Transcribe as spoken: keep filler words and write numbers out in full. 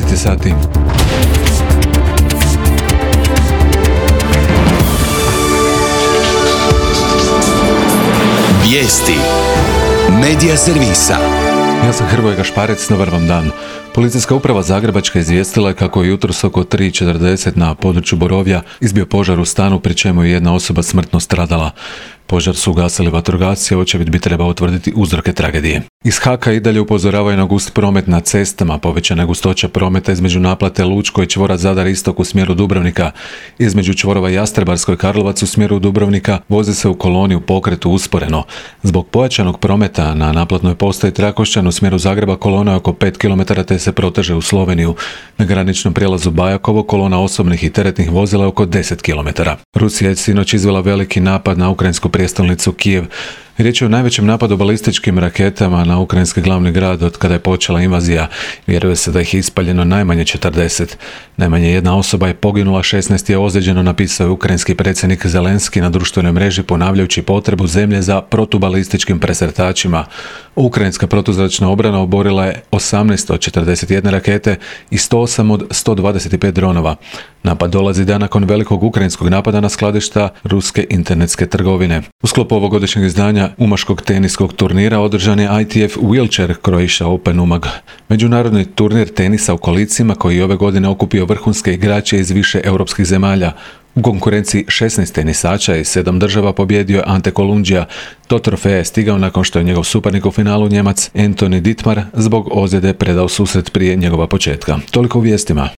deset sati. Vijesti Medija servisa. Ja sam Hrvoje Gašparec, dobar vam dan. Policijska uprava Zagrebačka izvijestila je kako je jutros oko tri i četrdeset na području Borovja izbio požar u stanu, pri čemu je jedna osoba smrtno stradala. Požar su ugasili vatrogasci, očevid bi trebao utvrditi uzroke tragedije. Iz Haka i dalje upozoravaju na gust promet na cestama, povećana gustoća prometa između naplate Lučko i čvora Zadar Istok u smjeru Dubrovnika. Između čvorova Jastrebarsko i Karlovac u smjeru Dubrovnika voze se u koloni u pokretu usporeno. Zbog pojačanog prometa na naplatnoj postaji Trakošćan u smjeru Zagreba kolona je oko pet kilometara te se proteže u Sloveniju. Na graničnom prijelazu Bajakovo kolona osobnih i teretnih vozila je oko deset kilometara. Rusija je sinoć izvela veliki napad na ukrajinsku prijestolnicu Kijev. Riječ je o najvećem napadu balističkim raketama na ukrajinski glavni grad od kada je počela invazija. Vjeruje se da ih je ispaljeno najmanje četrdeset. Najmanje jedna osoba je poginula, šesnaest je ozlijeđeno, napisao je ukrajinski predsjednik Zelenski na društvenoj mreži ponavljajući potrebu zemlje za protubalističkim presretačima. Ukrajinska protuzračna obrana oborila je osamnaest od četrdeset jedne rakete i sto osam od sto dvadeset pet dronova. Napad dolazi dan nakon velikog ukrajinskog napada na skladišta ruske internetske trgovine. U sklopu ovogodišnjeg izdanja umaškog teniskog turnira održan je I T F Wheelchair Croatia Open Umag. Međunarodni turnir tenisa u kolicima koji je ove godine okupio vrhunske igrače iz više europskih zemalja. U konkurenciji šesnaest tenisača i sedam država pobjedio je Ante Kolundžija. Do trofeja je stigao nakon što je njegov suparnik u finalu, Njemac Anthony Dittmar, zbog ozljede predao susret prije njegova početka. Toliko u vijestima.